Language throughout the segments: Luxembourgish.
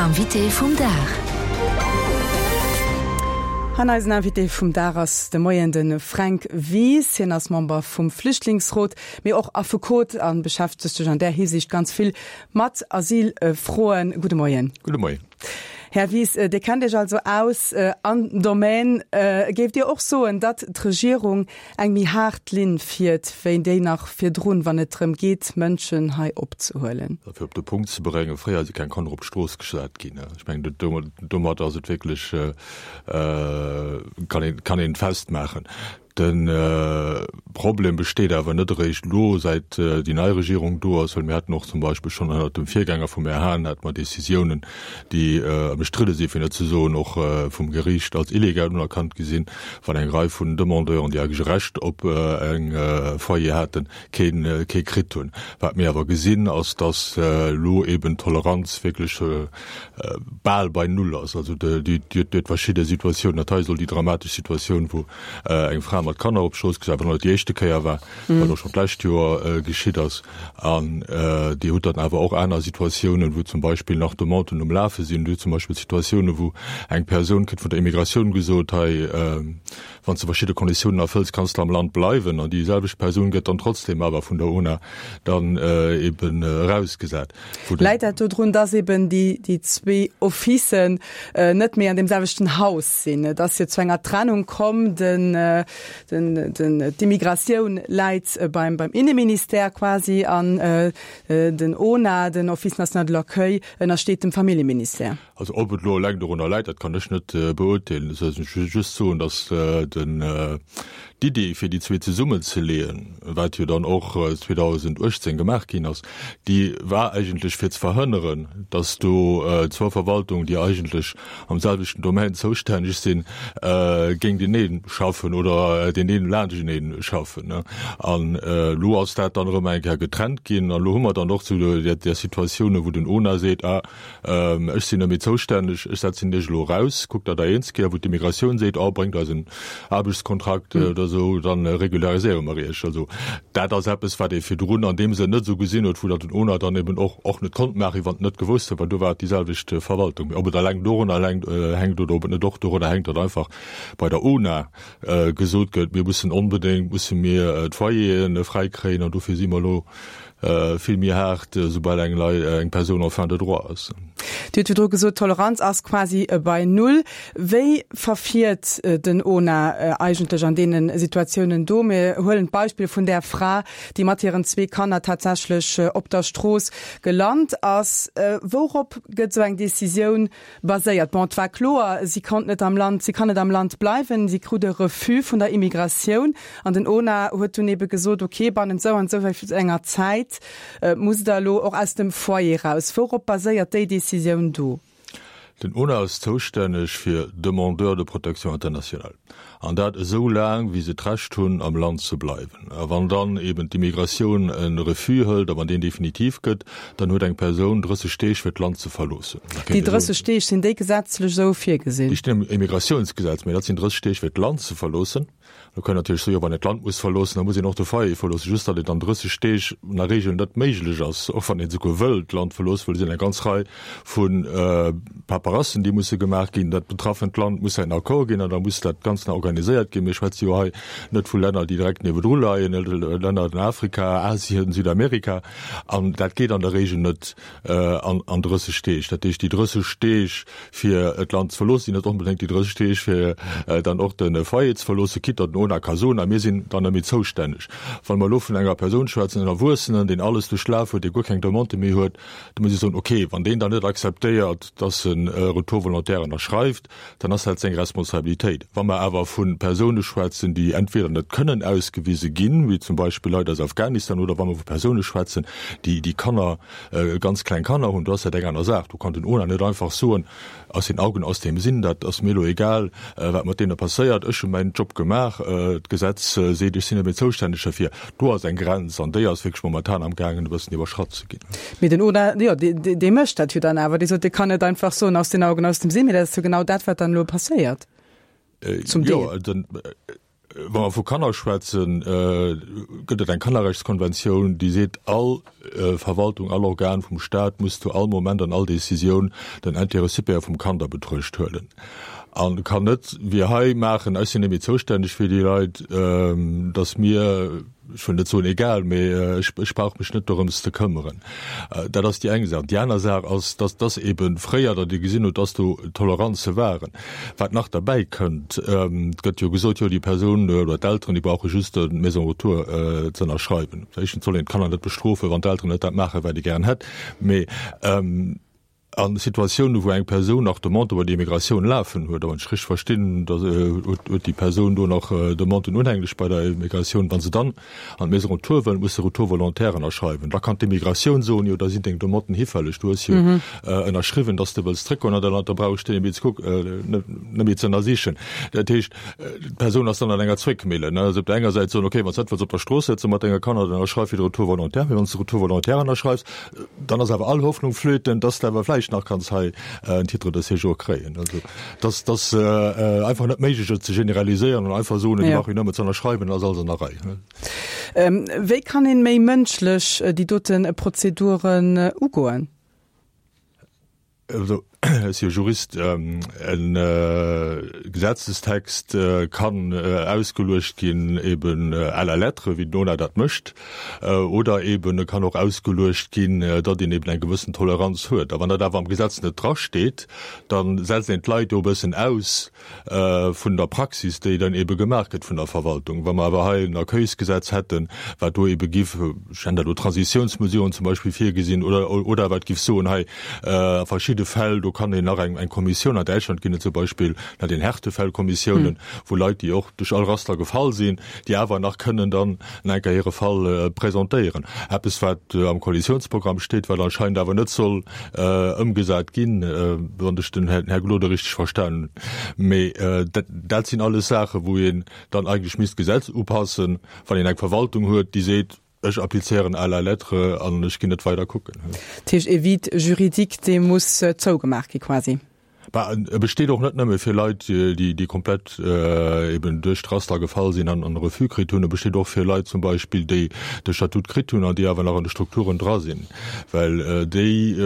Invité vum Dag. An eisen Invité vum Dag ass de Moien de Fränk Wies. Hien ass Member vum Flüchtlingsrot, mee och Affekot a beschäftegt sech an där Hisiicht ganz vill mat Asylfroen. Gudde Moien. Gudde Moien. Här Wies, Dir kennt Iech also aus an Domaine. Géift Dir och soen, datt d'Regierung eng méi haart Linn fiert wéi déi nach virdrun, wann et drëm geet, Mënschen hei opzehuelen? Fir op de Punkt ze bréngen, Fréier si keng Kanner op d'Strooss gesat ginn. Ech mengen, domat ass et wierklech, kann een et festmaachen. De Problem besteet awer net eréischt elo, säit déi nei Regierung do ass, well mir haten och zum Beispill schonn ënnert dem Virgänger vum Här Hahn hate mer Décisiounen, déi ëmstridde sinn, fir net ze soen och vum Geriicht als illegal unerkannt gi sinn, wann eng Rei vun Demandeuren, déi eigentlech e Recht op eng Foyer haten, kee kee kritt hunn. Wat mir awer gesinn, ass, datt elo eben d'Toleranz wierklech bal bei Null ass. Also Dir hutt verschidde Situatiounen, dat hei ass elo déi dramatesch Situatioun, wou eng Fra mat Kanner op d'Strooss gesat, wat net déi éischte Kéier war, wat och schonn d'lescht Joer geschitt ass. An Dir hutt dann awer och aner Situatiounen, wou zum Beispill nach Demanden um Lafe sinn. Dir hutt zum Beispill Situatiounen, wou eng Persoun kritt vun der Immigratioun gesot, hei, wann s de verschidde Konditiounen erfëlls, kanns de am Land bleiwen. An déi selwecht Persoun gëtt dann trotzdem awer vun der UNA dann eben erausgesat. Läit dat dodrun, dass eben déi zwee Officen net méi an deem selwechten Haus sinn? Et ass jo zu enger Trennung komm. D'Immigratioun läit beim Inneministère quasi an den ONA, den Office national de l'accueil, ënnersteet dem Familljeministère. Also ob et elo eleng dorunner läit, dat kann ech net beurteelen. Ech wëll just soen, datt den d'Idee fir déi zwee zesummenzeleeën, wat jo dann och 2018 gemaach ginn ass, déi war eigentlech fir ze verhënneren, datt do zwou Verwaltungen, déi eigentlech am selwechten Domaine zoustänneg sinn, géintenee schaffen oder deen een laanschtenee schaffen. An elo ass dat dann erëm eng Kéier getrennt ginn an elo hu mer dann och zu där Situatioun, wou den ONA seet, ah, Ech sinn net méi zoustänneg, ech setzen Iech elo eraus, kuckt datt Der eens gitt. A wou d'Immigratioun seet, oh, bréngt eis en Aarbechtskontrakt oder esou, da regulariséiere mer Iech. Also dat ass eppes, wat ee virdrun an deem Sënn net esou gesinn huet, wou dat den ONA dann eben och och net konnt maachen, wann en net gewosst huet, well do war et déi selwecht Verwaltung. Mee ob et eleng dorunner hänkt oder ob et net och dorunner hänkt, datt einfach bei der ONA gesot gëtt, mir mussen onbedéngt musse mir d'Foyeren fräikréien an dofir si mer elo vill méi haart, soubal eng Lei eng Persoun en fin de droit ass. Dir hutt virdru gesot, d'Toleranz ass quasi bei Null. Wéi verfiert den ONA eigentlech an deene Situatiounen do? Mir huelen d'Beispill vun där Fra, déi mat hiren zwee Kanner tatsächlech op der Strooss gelant ass. Wourop gëtt esou eng Decisioun baséiert? Bon, et war kloer, si konnt net am Land, si kann net am Land bleiwen, si krut e Refus vun der Immigratioun an den ONA huet dunn ebe gesot, okay, bannent esou an esou enger Zäit musst Der elo och aus dem Foyer raus. Wourop baséiert déi Decisioun do? Den ONA ass zoustänneg fir Demandeurs de protection internationale. An dat esou laang, wéi se d'Recht hunn, am Land ze bleiwen. A wann dann eben d'Immigratioun e Refus hëlt a wann deen definitiv gëtt, dann huet eng Persoun 30 Deeg, fir d'Land ze verloossen. Déi 30 Deeg, sinn déi gesetzlech esou virgesinn? Déi stinn am Immigratiounsgesetz, mä dat sinn 30 Deeg, fir d'Land ze verloossen. Do kann een natierlech soen, jo, wann een d'Land muss verloossen, da muss een och de Foyer verloossen. Just datt et an 30 Deeg an der Regel net méiglech ass, och wann een esouguer wëll d'Land verloossen, well et sinn eng ganz Rei vu Paperassen, déi musse gemaach ginn. Dat betraffent Land muss säin Accord ginn an da muss dat Ganzt nach organiséiert ginn. Mir schwätze jo hei net vu Länner, déi direkt niewedru leien, Länner an Afrika, Asien, Südamerika. An dat geet an der Regel net an 30 Deeg. Dat heescht, déi 30 Deeg, fir d'Land ze verloossen, sinn net onbedéngt déi 30 Deeg, fir dann och de Foyer ze verloossen, quitte datt den ONA ka soen, a mir sinn dann net méi zoustänneg. Wa mer elo vun enger Persoun schwätzen, en Erwuessenen, deen alles duerchlaf huet, dee guer keng Demande méi huet, Da muss ech soen, okay, wann deen dann net akzeptéiert, dass en e Retour volontaire ënnerschreift, dann ass dat seng Responsabilitéit. Wa mer awer vu Persoune schwätzen, déi entweder net kënnen ausgewise ginn, wéi zum Beispill Leit aus Afghanistan, oder wa mer vu Persoune schwätzen, déi déi Kanner, ganz kleng Kanner hunn, do ass dat eng aner Saach. Do kann den ONA net einfach soen, Aus den Augen, aus dem Sinn, dat ass mir elo egal, wat mat deene passéiert, ech hu mäin Job gemaach, d'Gesetz seet, ech sinn net méi zoustänneg derfir. Do ass eng Grenz an déi ass wierklech momentan amgaangen e bëssen iwwerschratt ze ginn. Mee den ONA, jo, dee mécht dat jo dann awer, dee sot, dee kann net einfach soen, aus den Augen, aus dem Sinn, mee dat ass jo genau dat, wat dann elo passéiert, zum Deel. Jo, den. Wa mer vu Kanner schwätzen, gëtt et eng Kannerrechtskonventioun, déi seet, all Verwaltung, all Organ vum Staat muss zu all Moment an all Décisioun den Intérêt supérieur vum Kand a Betruecht huelen a kann net wéi hei maachen, ech sinn net méi zoustänneg fir déi Leit, et ass mir, ech wëll net soen egal, mee ech, ech brauch mech net dorëms ze këmmeren. Dat ass déi eng Saach. Déi aner Saach ass, dass, dass eebe fréier, datt ee gesinn huet, dass do Toleranze waren. Wat nach derbäi kënnt, et gëtt jo gesot, jo déi Persoun oder d'Elteren, déi brauche just d'Maison retour ze ënnerschreiwen. Éischtens soll een d'Kanner net bestrofen, wann d'Elteren net dat maachen, wat ee gären hätt. Mee a Situatiounen, wou eng Persoun nach Demandë bei der Immigratioun lafen huet, a wann ech richteg verstinn, da huet déi Persoun do nach Demanden unhänglech bei der Immigratioun, wa se dann an d'Maison retour wëll, muss se Retour volontaire ënnerschreiwen. Da kann d'Immigratioun soen, jo da sinn deng Demanden hifälleg, du hues jo ënnerschriwwen, dass de wëlls zréckgoen an däi Land, da brauch ech déi net méi ze kucken, net méi ze ënnersichen. Dat heescht, d'Persoun ass dann an enger Zwéckmillen. Also op der enger Säit soen, okay, wann s de net wëlls op der Strooss sëtze mat denge Kanner, dann ënnerschreif fir de Retour volontaire. Mee wann s de Retour volontaire ënnerschreifs, Dann ass awer all Hoffnung flöten, dass de awer vläicht nach kanns hei en Titre de séjour kréien. Also dass dass einfach net méiglech et ze generaliséieren an einfach soen, déi brauch een nëmme ze ënnerschreiwen, dann ass alles an der Rei. Wéi kann een méi mënschlech déi dote Prozeduren ugoen? Also, ech si jo Jurist, e Gesetzestext kann ausgeluecht ginn eben à la lettre, wéi den ONA dat mécht, oder eben e kann och ausgeluecht ginn, datt een eben eng gewëssen Toleranz huet. A wann dat awer am Gesetz net drasteet, da setzt een d'Leit do e bëssen aus vun der Praxis, déi dann ebe gemaach gëtt vun der Verwaltung. Wa mer awer hei en Accueilsgesetz hätten, wat do ebe giff, ech nennen dat elo Transitiounsmesuren zum Beispill virgesinn, oder, oder wat giff soen, hei a verschidde Fäll, do kann een nach eng, eng Kommissioun, an Däitschland ginn et zum Beispill nach den Härtefällkommissiounen, wou Leit, déi och duerch all Raster gefall sinn, déi awer nach kënnen dann nach eng Kéier hire Fall presentéieren. Eppes, wat am Koalitionsprogramm steet, wat anscheinend awer net soll ëmgesat ginn, wann ech den Här Gloden richteg verstanen hunn. Mee dat sinn alles Saachen, wou een dann eigentlech misst d'Gesetz upassen, wann een eng Verwaltung huet, déi seet, Ech applizéieren à la lettre an ech ginn net weider kucken. Dat heescht, e Vide juridique, dee muss zougemaach gi quasi? Bah, e besteet och net nëmme fir Leit, déi, déi komplett eben duerch d'Raster gefall sinn an e Refus kritt hunn. E besteet och fir Leit zum Beispill, déi de Statut kritt hunn an déi awer nach an de Strukturen dra sinn, well déi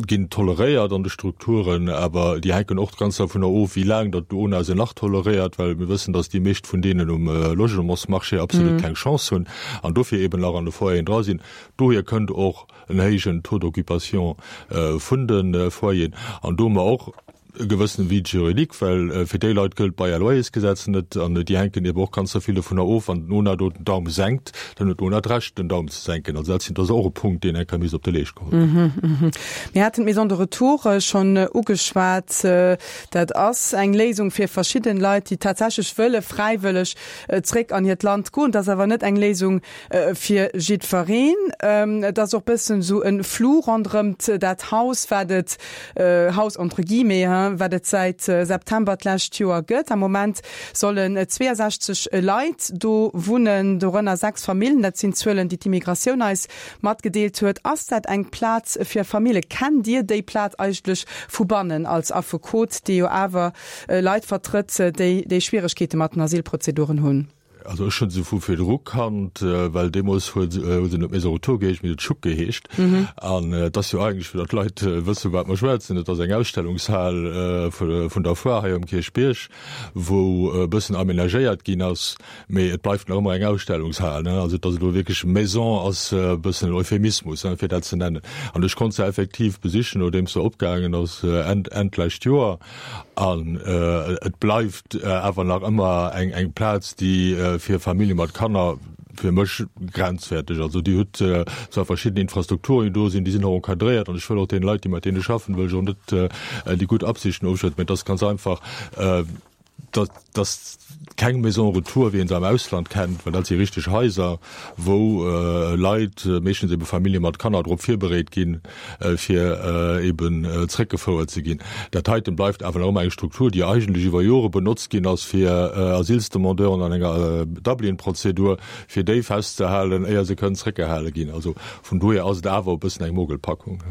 ginn toleréiert an de Strukturen, awer déi hänken och ganz dovunner of, wéi laang datt d'UNA se nach toleréiert, well mir wëssen, datt déi meescht vun deenen um Logementsmarché absolut keng Chance hunn an dofir eben nach an de Foyeren dra sinn. Dohier kënnt och en héijen Taux d'occupation vun de Foyeren an do hu mer och e gewëssene Vide juridique, well fir déi Leit gëllt d'Bail à loyers-Gesetz net an déi hänken eben och ganz vill dovunner of, wann den ONA do den Daum senkt, dann huet den ONA d'Recht den Daum ze senken. Also dat sinn, dat ass och e Punkt, deen eng Kéier misst op de Leescht geholl ginn. Mir haten d'Maison de retour schonn ugeschwat. Dat ass eng Léisung fir verschidden Leit, déi tatsächlech wëlle fräiwëlleg zréck an hiert Land goen. Dat ass awer net eng Léisung Fir jiddwereen. Et ass och bëssen esou e Flou ronderëmt dat Haus, wat et, Haus entre guillemets, hein, wat et säit September d'lescht Joer gëtt. Am Moment sollen 62 Leit do wunnen, dorënner 6 Famillen. Dat sinn Zuelen, déi d'Immigratioun eis matgedeelt huet. Ass dat eng Plaz fir Famille? Kennt Dir déi Plaz eigentlech vu bannen als Affekot, dee jo awer Leit vertrëtt, déi déi Schwieregkeete mat den Asylprozeduren hunn? Also ech hunn se vu virdru kannt, well deemools huet se net Maison Retour geheescht, mee huet Schuck geheescht. An et ass jo eigentlech, fir datt d'Leit wësse vu wat mer schwätzen, et ass eng Ausstellungshal vun der Foire hei um Kierchbierg, wou e bëssen aménagéiert ginn ass, mee et bleift nach ëmmer eng Ausstellungshal. Also datt et elo wierklech Maison ass e bëssen en Euphemismus, fir dat ze nennen. An ech konnt se effektiv besichen, nodeems se opgaangen ass Enn d'lescht Joer. An et bleift awer nach ëmmer eng Plaz, déi fir Famillje mat Kanner fir mech grenzwäerteg. Also Dir hutt zwar verschidden Infrastrukturen, déi do sinn, déi sinn och encadréiert an ech wëll och deene Leit, déi mat deene schaffen, wëll ech och net déi gutt Absichten ofschwätzen, mä et ass ganz einfach, dass keng Maison retour, wéi een se am Ausland kennt, well dat si richteg Haiser, wou Leit, meeschtens ebe Famillje mat Kanner, drop virbereet ginn, fir eben zréckgefouert ze ginn. Dat heiten bleift awer nach ëmmer eng Struktur, déi eigentlech iwwer Jore benotzt ginn ass, fir Asylsdemandeuren an enger Dublin-Prozedur, fir déi festzehalen, éier se kënnen zréckgehale ginn. Also vun dohier ass et awer e bëssen eng Mogelpackung.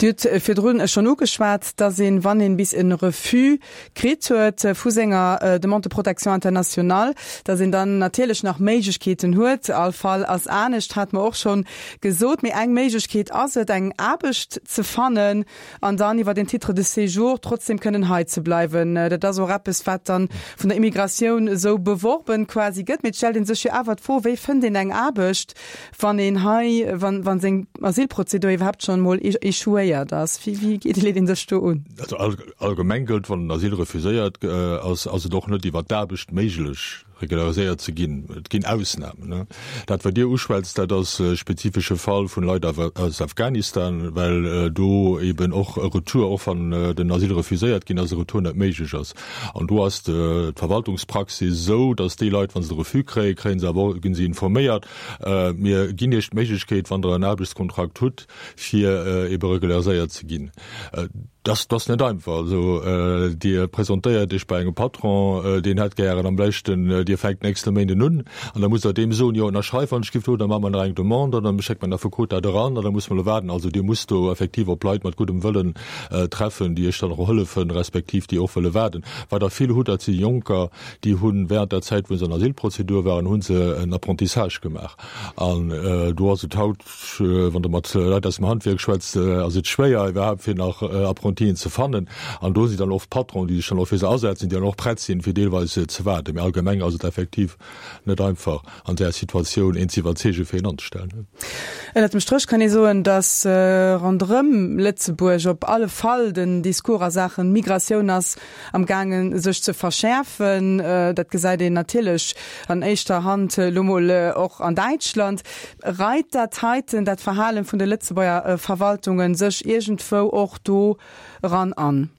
Dir hutt virdrun schonn ugeschwat, dass een, wann een bis e Refus kritt huet vu senger. senger Demande de protection internationale, datt een dann natierlech nach Méiglechkeeten huet. All Fall ass anescht, hate mer och schonn gesot. Mee eng Méiglechkeet ass et, eng Aarbecht ze fannen an dann iwwer den Titre de séjour trotzdem kënnen hei ze bleiwen. Dat ass och eppes, wat dann vun der Immigratioun esou beworben quasi gëtt. Mee et stellt ee sech jo awer d'Fro, Wéi fënnt een eng Aarbecht, wann een hei, wann, wann seng Asylprozedur iwwerhaapt schonn emol échouéiert ass? Wéi, wéi geet, leet ee sech do un? Also allgemeng gëllt, Wann den Asyl refuséiert ass, ass et och net iwwer d'Aarbecht méiglech, regulariséiert ze ginn. Et ginn Ausnamen. Dat, wat Dir uschwätzt, dat ass e spezifesche Fall vun Leit aus Afghanistan, well do eben och e Retour, och wann den Asyl refuséiert ginn ass, e Retour net méiglech ass. An do ass d'Verwaltungspraxis esou, datt déi Leit, wa se de Refus kréien, kréie se awer och, gi se informéiert, Mir ginn Iech d'Méiglechkeet, wann Der en Aarbechtskontrakt hutt, fir ebe regulariséiert ze ginn. Dat ass net einfach. Also Dir presentéiert Iech bei engem Patron, deen hätt gären am léischten, Dir fänkt nächste Méinden un, an da musst Der deem soen, jo ënnerschreif wann ech giff do, da maache mer nach eng Demande an da schéckt mer den Affekot dat eran an da muss mer elo waarden. Also Dir musst do effektiv op Leit mat guddem Wëllen treffen, déi Iech dann och hëllefen, respektiv déi och wëlle waarden. Wat Der vill hutt, dat si Jonker, déi hu während der Zäit, wou se an Asylprozedur waren, hu se en Apprentissage gemaach. An do ass et haut, Wann Der mat Leit aus dem Handwierk schwätzt, ass et schwéier iwwerhaapt fir nach Apprentien ze fannen. An do si dann oft Patronen, déi sech dann och fir se asetzen, déi dann och prett sinn, fir deelweis ze waarden. Mee allgemeng ass et effektiv net einfach an där Situatioun een ze iwwerzeegen, fir een anzestellen. Ënnert dem Stréch kann ee soen, datt ronderëm Lëtzebuerg op alle Fall den Discours a Saachen Migratioun ass am gaangen sech ze verschäerfen. Dat gesäit een natierlech an éischter Hand elo mol och an Däitschland. Reit dat heiten, dat Verhalen vun de Lëtzebuerger Verwaltungen sech iergendwou och do eran an?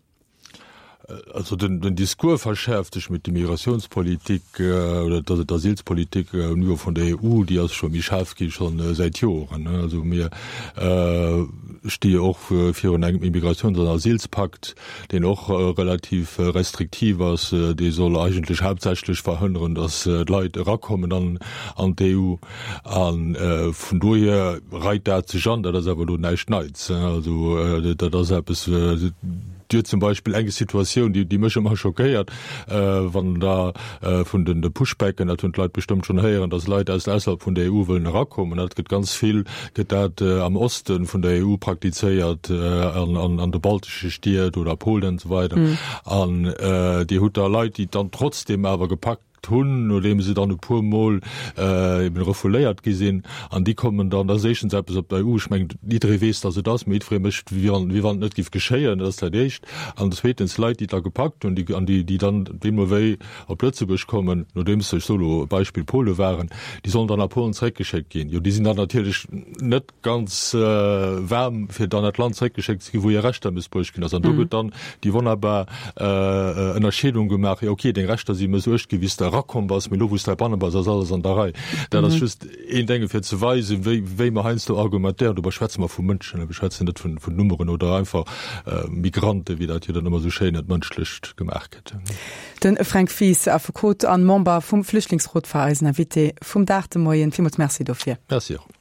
Also den, den Discours verschäerft sech, mee d'Immigratiounspolitik oder d'Asylspolitik um Niveau vun der EU, déi ass scho méi schaarf gi scho säit Joren. Also mir sti jo och virun engem Immigratiouns an Asylspakt, deen och relativ restriktiv ass, dee soll eigentlech haaptsächlech verhënneren, datt d'Leit erakommen an an d'EU. A vun dohier reit dat sech an. Dat ass awer elo näischt Neits. Also dat ass eppes, Dir hutt zum Beispill eng Situatioun, déi déi mech ëmmer schockéiert, wann da vun den de Pushbacken, dat hunn d'Leit bestëmmt schonn héieren, datt Leit aus ausserhalb vun der EU wëllen erakommen. Dat gëtt ganz vill gëtt dat am Oste vun der EU praktizéiert, an an an de baltesche Stied oder Polen an esou weider. An Dir hutt da Leit, déi dann trotzdem awer gepackt hunn, nodeem se dann e puer Mol eben refouléiert gi sinn. An déi kommen dann, dat ass éischtens eppes op der EU, ech mengen, jidderee weess, datt et ass, mee jiddweree mécht, wéi wann, wéi wann et net géif geschéien, dat ass dat Éischt. An zweetens, Leit, déi et da gepackt hunn, déi, an déi, déi dann deemno wéi op Lëtzebuerg kommen, nodeems se, ech soe lo e Beispill, Pole waren, déi sollen dann a Polen zeréckgeschéckt ginn. Jo, déi sinn dann natierlech net ganz waarm, fir dann dat Land zeréckgeschéckt ze ginn, wou hir Rechter mëssbruecht ginn ass. An do gëtt dann déi wonnerbar Ënnerscheedung gemaach, jo okay, deng Rechter si mëssuecht ginn, wéi s de erakomm bass, mee elo wou s de heibanne bass, ass alles an der Rei. Dat ass just een Denge fir ze weisen, wéi, wéi mer heiansdo argumentéieren. Dobäi schwätze mer vu Mënschen, mir schwätzen net vun, vun Nummeren oder einfach Migranten, wéi dat jo dann ëmmer esou schéin entmënschlecht gemaach gëtt. De Fränk Wies, Affekot an Member vum Flüchtlingsrot, war eisen Invité vum Dag de Moien. Villmools Merci dofir. Merci och.